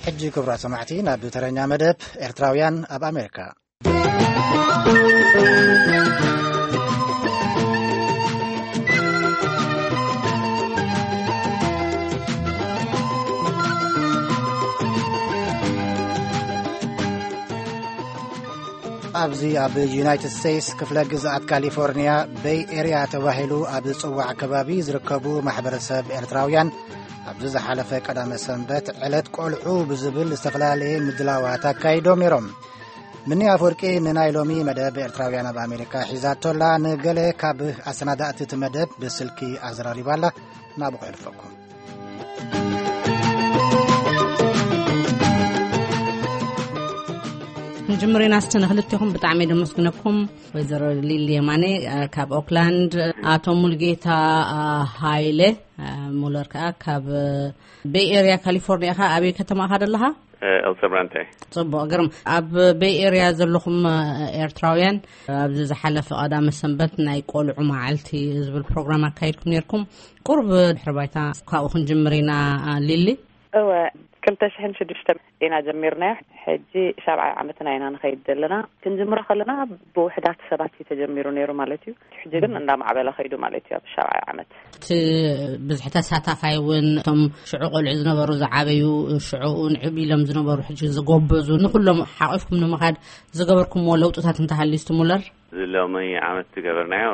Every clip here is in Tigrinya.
ሕጂ ክቡራት ሰማዕቲ፣ ናብ ተረኛ መደብ ኤርትራውያን ኣብ ኣሜሪካ። ኣብዚ ኣብ ዩናይትድ ስቴትስ ክፍለ ግዝኣት ካሊፎርኒያ ቤይ ኤርያ ተባሂሉ ኣብ ዝጽዋዕ ከባቢ ዝርከቡ ማሕበረሰብ ኤርትራውያን፣ ኣብዚ ዝሓለፈ ቀዳመ ሰንበት ዕለት ቆልዑ ብዝብል ዝተፈላለየ ምድላዋት ኣካይዶም ነይሮም። ምኒ ኣፈወርቂ ንናይ ሎሚ መደብ ኤርትራውያን ኣብ ኣሜሪካ ሒዛቶላ፣ ንገለ ካብ ኣሰናዳእቲ እቲ መደብ ብስልኪ ኣዘራሪባላ። ናብኡ ክሕልፈኩም። ክንጅምር ኢና እስቲ ንክልቴኹም ብጣዕሚ ደመስግነኩም። ወይዘሮ ሊሊ የማነ፣ እ፣ ካብ ኦክላንድ፣ ኣቶ ሙልጌታ፣ እ፣ ሃይለ፣ እ፣ ሙለር ከኣ ካብ፣ እ፣ ቤይ ኤርያ ካሊፎርኒያ ኢኻ። ኣበይ ከተማ ኢኻ ዘለኻ? እ፣ ኤልሰብራንቴ። ጽቡቕ፣ ግርም። ኣብ ቤይ ኤርያ ዘለኹም፣ እ፣ ኤርትራውያን፣ ኣብዚ ዝሓለፈ ቀዳመ ሰንበት ናይ ቆልዑ መዓልቲ ዝብል ፕሮግራም ኣካይድኩም ነይርኩም። ቁሩብ ድሕሪ ባይታ ካብኡ ክንጅምር ኢና፣ እ፣ ሊሊ። እወ፣ ክልተ ሽሕን ሽዱሽተ ኢና ጀሚርናዮ። ሕጂ ሻብዓይ ዓመትና ኢና ንኸይድ ዘለና። ክንጅምሮ ከለና ብውሕዳት ሰባት እዩ ተጀሚሩ ነይሩ ማለት እዩ። ሕጂ ግን እንዳማዕበለ ኸይዱ ማለት እዩ ኣብ ሻብዓይ ዓመት። እቲ ብዝሒ ተሳታፋይ እውን እቶም ሽዑ ቆልዑ ዝነበሩ ዝዓበዩ፣ ሽዑ ንዕብ ኢሎም ዝነበሩ ሕጂ ዝጎበዙ፣ ንኹሎም ሓቂፍኩም ንምኻድ ዝገበርኩምዎ ለውጥታት እንተሃልዩ እስቲ ሙለር? እዚ ሎሚ ዓመት ዝገበርናዮ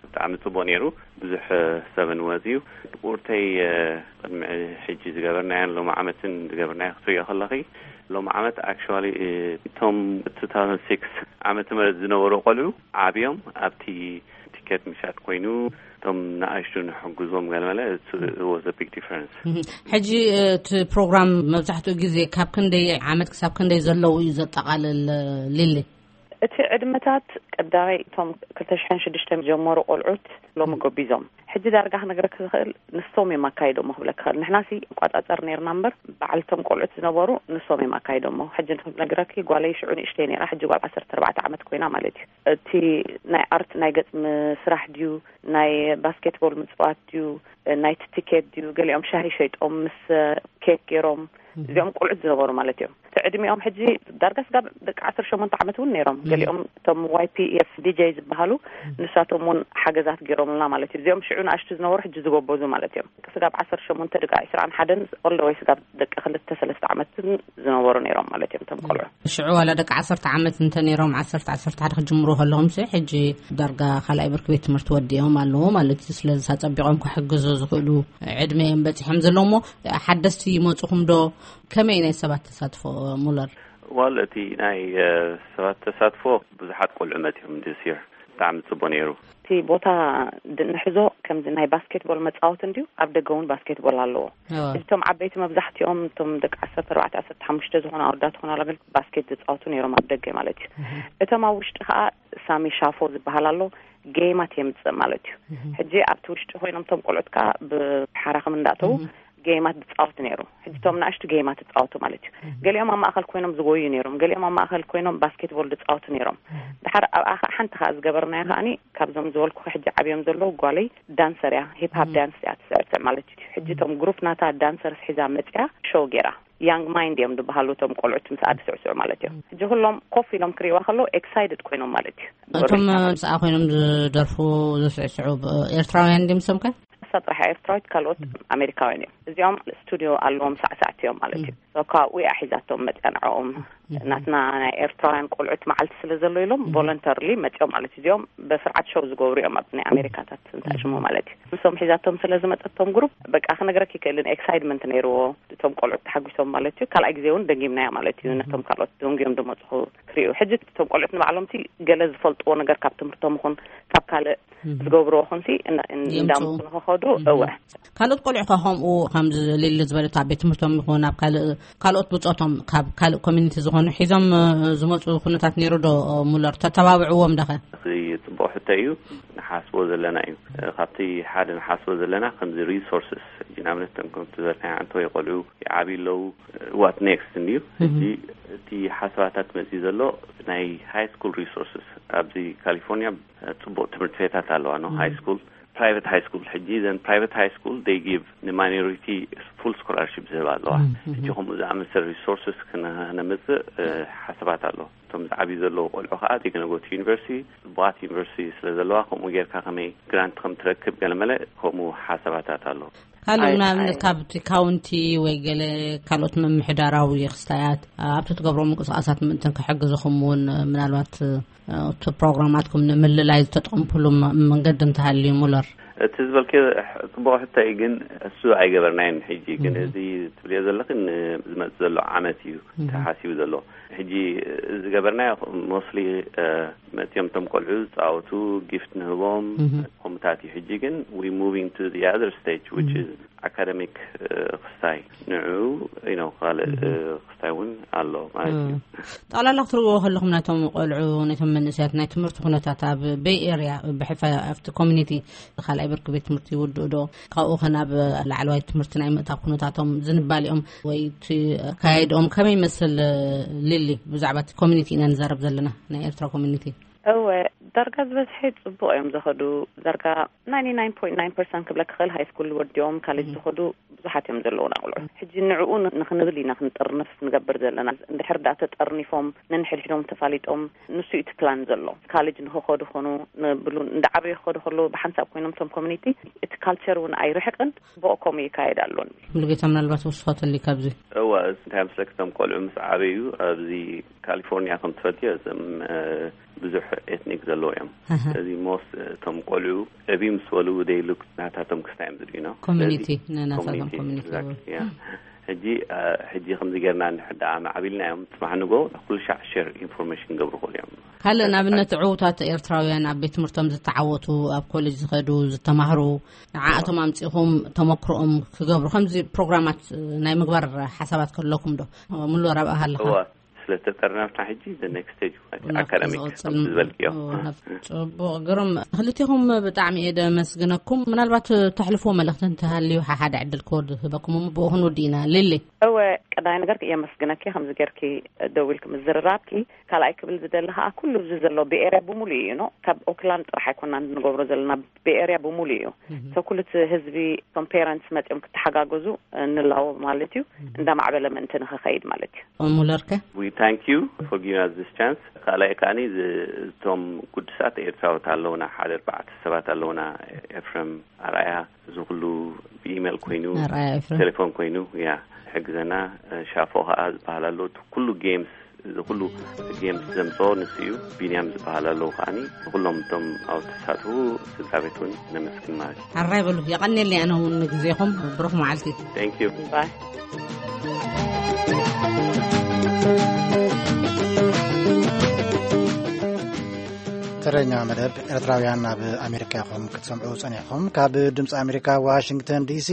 ብጣዕሚ ጽቡቕ ነይሩ። ብዙሕ ሰብ ንወጽዩ። ቁርተይ፣ እ፣ ቅድሚ ሕጂ ዝገበርናዮን ሎሚ ዓመትን ዝገበርናዮ ክትሪኦ ከለኺ፣ ሎሚ ዓመት ኣክቹዋሊ፣ እ፣ እቶም ቱ ታውዘንድ ሲክስ ዓመተ ምህረት ዝነበሩ ቆልዑ ዓብዮም ኣብቲ ቲኬት ምሻጥ ኮይኑ፣ እቶም ንኣሽቱ ንሕግዞም ገለመለ፣ it was a big difference። እህ፣ ሕጂ፣ እ፣ እቲ ፕሮግራም መብዛሕትኡ ግዜ ካብ ክንደይ ዓመት ክሳብ ክንደይ ዘለዉ እዩ ዘጠቓልል፣ እ፣ ሊሊ? እቲ ዕድመታት ቀዳማይ እቶም ክልተ ሽሕን ሽዱሽተን ጀመሩ ቆልዑት ሎሚ ጎቢዞም። ሕጂ ዳርጋ ክነግረኪ ዝኽእል ንሶም እዮም ኣካይዶሞ ክብለኪ ክኽእል። ንሕናሲ ንቋጻጸር ነይርና እምበር፣ በዓልቶም ቆልዑት ዝነበሩ ንሶም እዮም ኣካይዶሞ። ሕጂ ክነግረኪ ጓለይ ሽዑ ንእሽተይ ነይራ፣ ሕጂ ጓል ዓሰርተ ኣርባዕተ ዓመት ኮይና ማለት እዩ። እቲ ናይ ኣርት ናይ ገጽ ምስራሕ ድዩ፣ ናይ ባስኬትቦል ምጽዋት ድዩ፣ ናይቲ ቲኬት ድዩ፣ ገሊኦም ሻሂ ሸይጦም ምስ ኬክ ገይሮም፣ እዚኦም ቆልዑት ዝነበሩ ማለት እዮም። እቲ ዕድሚኦም ሕጂ ዳርጋ ስጋብ ደቂ ዓሰርተ ሸሞንተ ዓመት እውን ነይሮም። ገሊኦም እቶም ዋይ ፒ ኤፍ ዲ ጄ ዝበሃሉ፣ ንሳቶም እውን ሓገዛት ገይሮምልና ማለት እዩ። እዚኦም ሽዑ ንኣሽቱ ዝነበሩ ሕጂ ዝጎበዙ ማለት እዮም። ስጋብ ዓሰርተ ሸሞንተ፣ ደቂ ዕስራን ሓደን፣ all the way ስጋብ ደቂ ክልተ ሰለስተ ዓመትን ዝነበሩ ነይሮም ማለት እዮም እቶም ቆልዑ። ሽዑ ዋላ ደቂ ዓሰርተ ዓመት እንተ ነይሮም፣ ዓሰርተ፣ ዓሰርተ ሓደ ክጅምሩ ከለኹም ሲ፣ ሕጂ ዳርጋ ካልኣይ ብርኪ ቤት ትምህርቲ ወዲኦም ኣለዉ ማለት እዩ። ስለዚ ኣጸቢቖም ክሕግዙ ዝኽእሉ ዕድመ እዮም በጺሖም ዘለዉ። እሞ ሓደስቲ ይመጹኹም ዶ? ከመይ ናይ ሰባት ተሳትፎ፣ ሙለር? ዋል፣ እቲ ናይ፣ እ፣ ሰባት ተሳትፎ፣ ብዙሓት ቆልዑ መጺኦም this year። ብጣዕሚ ጽቡቕ ነይሩ። እቲ ቦታ ድ-፣ ንሕዞ ከምዚ ናይ ባስኬትቦል መጻወቲ እንድዩ፣ ኣብ ደገ እውን ባስኬትቦል ኣለዎ። እቶም ዓበይቲ መብዛሕትኦም፣ እቶም ደቂ ዓሰርተ ኣርባዕተ፣ ዓሰርተ ሓሙሽተ ዝኾኑ ኣወዳት ዝኾኑ ኣገልግሎት ባስኬት ዝጻወቱ ነይሮም ኣብ ደገ ማለት እዩ። እቶም ኣብ ውሽጢ ከኣ ሳሚ ሻፎ ዝበሃል ኣሎ፣ ጌማት የምጽእ ማለት እዩ። ሕጂ ኣብቲ ውሽጢ ኮይኖም እቶም ቆልዑት ከኣ ብሓራኽም እንዳእተዉ ጌማት ዝጻወቱ ነይሩ። ሕጂ እቶም ንኣሽቱ ጌማት ዝጻወቱ ማለት እዩ። ገሊኦም ኣብ ማእከል ኮይኖም ዝጎዩ ነይሮም፣ ገሊኦም ኣብ ማእከል ኮይኖም ባስኬትቦል ዝጻወቱ ነይሮም። ድሓር ኣብኣ ከኣ ሓንቲ ከኣ ዝገበርናዮ ከኣኒ ካብዞም ዝበልኩ ሕጂ ዓብዮም ዘለዉ ጓለይ ዳንሰር እያ፣ ሂፕ ሃፕ ዳንስ እያ ትስዕስዕ ማለት እዩ። ሕጂ እቶም ግሩፕ ናታ ዳንሰርስ ሒዛ መጽያ ሾው ገይራ። ያንግ ማይንድ እዮም ዝበሃሉ እቶም ቆልዑት ምስኣ ዝስዕስዑ ማለት እዮም። ሕጂ ኩሎም ኮፍ ኢሎም ክርእይዋ ከለዉ ኤክሳይትድ ኮይኖም ማለት እዩ። እቶም ምስኣ ኮይኖም ዝደርፉ ዝስዕስዑ ብ-፣ ኤርትራውያን ድዮም እሶም ከ? እሳ ጥራሕ ኤርትራዊት፣ ካልኦት ኣሜሪካውያን እዮም። እዚኦም ስቱዲዮ ኣለዎም፣ ሳዕሳዕቲ እዮም ማለት እዩ። So ካብኡ እያ ሒዛቶም መፅያ ንዕኦም። ናትና ናይ ኤርትራውያን ቆልዑት መዓልቲ ስለ ዘሎ ኢሎም ቮለንተርሊ መፅዮም ማለት እዩ። እዚኦም በስርዓት ሾው ዝገብሩ እዮም ኣብ ናይ ኣሜሪካታት እንታይ ሽሙ ማለት እዩ። ንሶም ሒዛቶም ስለ ዝመፀቶም ግሩፕ በቃ ክነግረክ ይክእልን ኤክሳይትመንት ነይርዎ። እቶም ቆልዑት ተሓጒሶም ማለት እዩ። ካልኣይ ግዜ እውን ደጊምናያ ማለት እዩ። ነቶም ካልኦት ደንጉዮም ዝመፅኹ ክርእዩ። ሕጂ እቶም ቆልዑት ንባዕሎም ሲ ገለ ዝፈልጥዎ ነገር ካብ ትምህርቶም ይኹን ካብ ካልእ ዝገብርዎ ኹንሲ እን-፣ እን-፣ የምፅኡ። እንዳምፁ ንኸኸዱ፣ እወ። ካልኦት ቆልዑ ከ ከምኡ ከምዚ ሊሊ ዝበለት ኣብ ቤት ትምህርቶም ይኹን ኣብ ካልእ፣ ካልኦት ብፆቶም ካብ ካልእ ኮሚኒቲ ዝኾኑ ሒዞም፣ እ፣ ዝመፁ ኩነታት ነይሩ ዶ፣ እ፣ ሙለር? ተተባብዕዎም ዶ ኸ? እዚ ፅቡቕ ሕቶ እዩ። ንሓስቦ ዘለና እዩ። እ፣ ካብቲ ሓደ ንሓስቦ ዘለና ከምዚ ሪሶርስስ፣ ሕጂ ንኣብነት እቶም ከምቲ ዝበልናዮ ዓንተወይ ቆልዑ ይዓብዩ ኣለዉ። ዋት ኔክስት እንድዩ። ሕጂ እቲ ሓሳባታት መፅዩ ዘሎ ናይ ሃይ ስኩል ሪሶርስስ ኣብዚ ካሊፎርኒያ፣ እ፣ ፅቡቕ ትምህርቲ ቤታት ኣለዋ ነው ሃይ ስኩል። Private high school ሕጂ ዘን private high school they give ንማይኖሪቲ full scholarship ዝህባ ኣለዋ። ሕጂ ከምኡ ዝኣመሰለ resources ክነምፅእ ሓሳባት ኣሎ። እቶም ዝዓብዩ ዘለዉ ቆልዑ ከዓ they gonna go to university ጽቡቓት ዩኒቨርሲቲ ስለ ዘለዋ ከምኡ ጌርካ ከመይ grant ከም ትረክብ ገለመለ ከምኡ ሓሳባታት ኣሎ። ካልእ ንኣብነት ካብቲ ካውንቲ ወይ ገለ ካልኦት ምምሕዳራዊ ክስታያት ኣብቲ ትገብሮ ምንቅስቃሳት ምእንትን ክሕግዝኹም እውን ምናልባት እቲ ፕሮግራማትኩም ንምልላይ ዝተጠቀምኩሉ መንገዲ እንተሃልዩ ሙለር? እቲ ዝበልክዮ ጽቡቕ ሕቶ እዩ፣ ግን እሱ ኣይገበርናዮን። ሕጂ ግን እዚ ትብልዮ ዘለኽን ዝመጽእ ዘሎ ዓመት እዩ ተሓሲቡ ዘሎ። ሕጂ ዝገበርናዮ mostly መጽዮም ቶም ቆልዑ ዝጻወቱ ጊፍት ንህቦም ከምኡታት እዩ። ሕጂ ግን we moving to the other stage which is academic ክስታይ ንዑ ነው ካልእ ክስታይ እውን ኣሎ ማለት እዩ። ጠቕላላ ክትርእዎ ከለኹም ናይቶም ቆልዑ ናይቶም መንእሰያት ናይ ትምህርቲ ኩነታት ኣብ ቤይ ኤርያ ብሕልፋ ኣብቲ ኮሚኒቲ ካልኣይ ብርኪ ቤት ትምህርቲ ይውድኡ ዶ? ካብኡ ከ ናብ ላዕለዋይ ትምህርቲ ናይ ምእታው ኩነታቶም ዝንባሊኦም ወይ እቲ ኣካያይድኦም ከመይ ይመስል? ሊሊ፣ ብዛዕባ እቲ ኮሚኒቲ ኢና ንዛረብ ዘለና፣ ናይ ኤርትራ ኮሚኒቲ። እወ፣ ዳርጋ ዝበዝሐ ጽቡቕ እዮም ዝኸዱ። ዳርጋ ninety nine point nine percent ክብለካ ክእል ሃይ ስኩል ወዲኦም ካሌጅ ዝኸዱ ብዙሓት እዮም ዘለዉና ቆልዑ። ሕጂ ንዕኡ ንኽንብል ኢና ክንጥርንፍ ንገብር ዘለና። እንድሕር ደኣ ተጠርኒፎም ነንሕድሕዶም ተፋሊጦም ንሱ እዩ እቲ ፕላን ዘሎ። ካሌጅ ንኽኸዱ ኾኑ ንብሉ እንዳ ዓበዩ ክኸዱ ከለዉ ብሓንሳብ ኮይኖም እቶም ኮሚኒቲ እቲ ካልቸር እውን ኣይርሕቅን ብኦ ከምኡ ይካየድ ኣሎ ንብል። ሙሉጌታ ምናልባት ወስኸተሊ ካብዚ እዋ እንታይ ምስለክ እቶም ቆልዑ ምስ ዓበዩ ኣብዚ ካሊፎርኒያ ከም ትፈልጥዮ እዞም ብዙሕ ኤትኒክ ዘለዎ እዮም። እዚ ሞስት እቶም ቆልዑ ዕብዩ ምስ በሉ ደይሉክ ናታቶም ክስታይ እዮም ዝድዩ ነው ኮሚኒቲ ነናታቶም ኮሚኒቲ። ሕጂ ሕጂ ከምዚ ጌርና እንድሕር ደኣ ማዕቢልና እዮም ጽባሕ ንጎ ኩሉ ሻዕ ሸር ኢንፎርሜሽን ገብሩ ክእሉ እዮም። ካልእ ንኣብነት ዕዉታት ኤርትራውያን ኣብ ቤት ትምህርቶም ዝተዓወቱ ኣብ ኮሌጅ ዝኸዱ ዝተማህሩ ንዓኣቶም ኣምጺኹም ተመክሮኦም ክገብሩ ከምዚ ፕሮግራማት ናይ ምግባር ሓሳባት ከለኩም ዶ? ሙሉ ረብኣ ኣለኻ? ስለተጠርነፍና ሕጂ the next stage ኣካዳሚክ ዝበልክዮ። ጽቡቕ ግሩም። ክልቲኹም ብጣዕሚ እየ ደመስግነኩም። ምናልባት ተሕልፍዎ መልእኽቲ እንተሃልዩ ሓሓደ ዕድል ክወድ ህበኩም እሞ ብኡ ክንውዲ ኢና። ሊሊ። እወ ቀዳይ ነገር የመስግነኪ ከምዚ ጌርኪ ደዊልክ ምዝርራብኪ። ካልኣይ ክብል ዝደሊ ከዓ ኩሉ እዚ ዘሎ ብኤርያ ብሙሉ እዩ ነው ካብ ኦክላንድ ጥራሕ ኣይኮና እንገብሮ ዘለና ብኤርያ ብሙሉ እዩ። ሰው ኩሉ እቲ ህዝቢ እቶም ፔረንትስ መፅኦም ክተሓጋገዙ ንላዎ ማለት እዩ። እንዳማዕበለ ምእንቲ ንክኸይድ ማለት እዩ። ሙለርከ we thank you for giving us this chance። ካልኣይ ከዓኒ እቶም ጉዱሳት ኤርትራውት ኣለውና ሓደ ኣርባዕተ ሰባት ኣለውና ኤፍረም ኣርኣያ እዚ ኩሉ ብኢሜል ኮይኑ ቴሌፎን ኮይኑ ያ ሕግዘና። ሻፎ ከዓ ዝበሃል ኣሎ ኩሉ ጌምስ እዚ ኩሉ ጌምስ ዘምፅኦ ንሱ እዩ። ቢንያም ዝበሃል ኣለዉ ከዓኒ ንኩሎም እቶም ኣብ ተሳትፉ ስድራ ቤት እውን ነመስግን ማለት እዩ። ሓራይ በሉ የቐንየለይ ኣነ እውን ንግዜኹም ብሩኽ መዓልቲ። Thank you። ተረኛ መደብ ኤርትራውያን ኣብ ኣሜሪካ ኢኹም ክትሰምዑ ጸኒሕኹም ካብ ድምፂ ኣሜሪካ ዋሽንግተን ዲሲ።